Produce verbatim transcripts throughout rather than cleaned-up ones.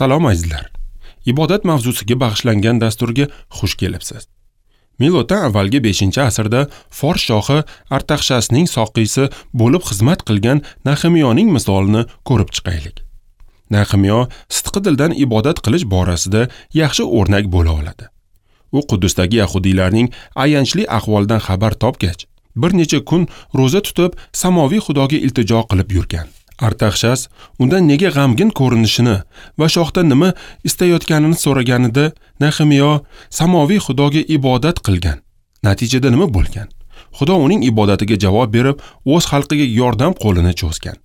Salom azizlar. Ibodat mavzusiga bag'ishlangan dasturga xush kelibsiz. Miloddan avvalgi beshinchi asrda Fors shohi Artaxshasning soqiysi bo'lib xizmat qilgan Nahemiyoning misolini ko'rib chiqaylik. Nahemiyo sidqi dildan ibodat qilish borasida yaxshi o'rnak bo'la oladi. U Quddusdagi yahudiylarning ayanchli ahvolidan xabar topgach, bir necha kun ro'za tutib, samoviy Xudoga iltijo qilib yurgan. Artaxshas undan nega g'amgin ko'rinishini va shohdan nima istayotganini so'raganida Nahemiyo samoviy Xudoga ibodat qilgan. Natijada nima bo'lgan? Xudo uning ibodatiga javob berib, o'z xalqiga yordam qo'lini cho'zgan.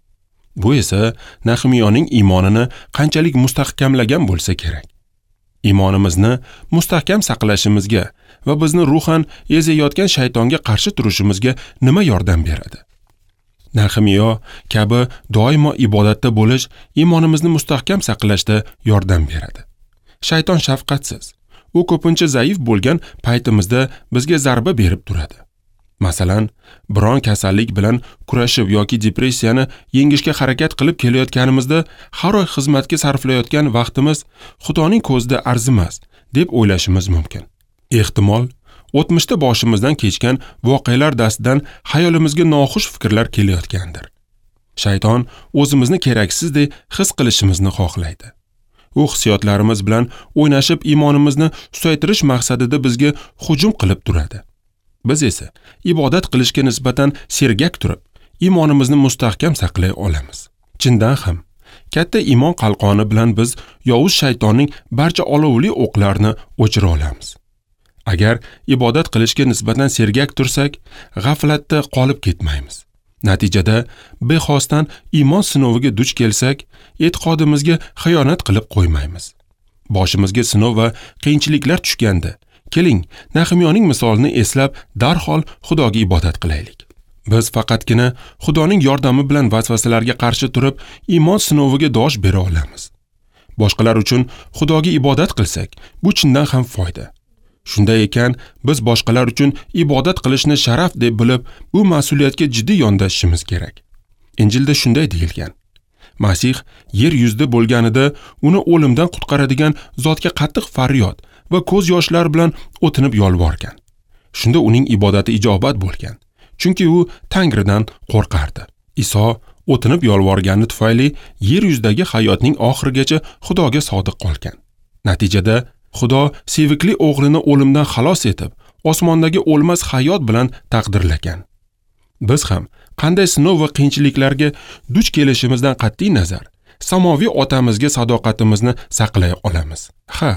Bu esa Nahemiyoning iymonini qanchalik mustahkamlagan bo'lsa kerak. Iymonimizni mustahkam saqlashimizga va bizni ruhan ezayotgan shaytonga qarshi turishimizga nima yordam beradi? Nahemiyo kabi doimo ibodatda bo'lish iymonimizni mustahkam saqlashda yordam beradi. Shayton shafqatsiz. U ko'pincha zaif bo'lgan paytimizda bizga zarba berib turadi. Masalan, biron kasallik bilan kurashib yoki depressiyani yengishga harakat qilib kelayotganimizda har oy xizmatga sarflayotgan vaqtimiz Xudoning ko'zida arzimas deb o'ylashimiz mumkin. Ehtimol, o'tmishda boshimizdan kechgan voqealar dastidan hayolimizga noxush fikrlar kelayotgandir. Shayton o'zimizni keraksizdek his qilishimizni xohlaydi. U hissiyotlarimiz bilan o'ynashib iymonimizni susaytirish maqsadida bizga hujum qilib turadi. Biz esa ibodat qilishga nisbatan sergak turib, iymonimizni mustahkam saqlay olamiz. Chindan ham, katta iymon qalqoni bilan biz yovuz shaytonning barcha olovli o'qlarini o'chira olamiz. Agar ibodat qilishga nisbatan sergak tursak, g'aflatda qolib ketmaymiz. Natijada bexosdan iymon sinoviga duch kelsak, e'tiqodimizga xiyonat qilib qo'ymaymiz. Boshimizga sinov va qiyinchiliklar tushganda, keling, Nahemiyoning misolini eslab, darhol Xudoga ibodat qilaylik. Biz faqatgina Xudoning yordami bilan vasvasalarga qarshi turib, iymon sinoviga dosh bera olamiz. Boshqalar uchun Xudoga ibodat qilsak, bu chindan ham foyda. Shunday ekan, biz boshqalar uchun ibodat qilishni sharaf deb bilib, bu mas'uliyatga jiddiy yondashishimiz kerak. Injilda shunday deyilgan: Masih yer yuzida bo'lganida uni o'limdan qutqaradigan zotga qattiq faryod va ko'z yoshlari bilan o'tinib yolvorgan. Shunda uning ibodati ijobat bo'lgan, chunki u Tangridan qo'rqardi. Iso o'tinib yolvorgani tufayli yer yuzidagi hayotning oxirigacha Xudoga sodiq qolgan. Natijada Xudo sevikli o'g'lini o'limdan xalos etib, osmondagi o'lmas hayot bilan taqdirlagan. Biz ham qanday sinov va qiyinchiliklarga duch kelishimizdan qat'iy nazar, samoviy otamizga sadoqatimizni saqlay olamiz. Ha,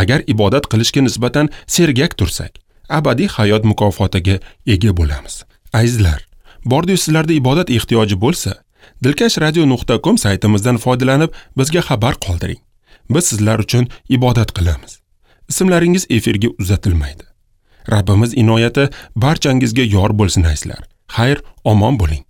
agar ibodat qilishga nisbatan sergak tursak, abadiy hayot mukofotiga ega bo'lamiz. Azizlar, bordi sizlarda ibodat ehtiyoji bo'lsa, dilkash radio nuqta com saytimizdan foydalanib bizga xabar qoldiring. Biz sizlar uchun ibodat qilamiz. Ismlaringiz efirga uzatilmaydi. Rabbimiz inoyati barchangizga yor bo'lsin azizlar. Xayr, omon bo'ling.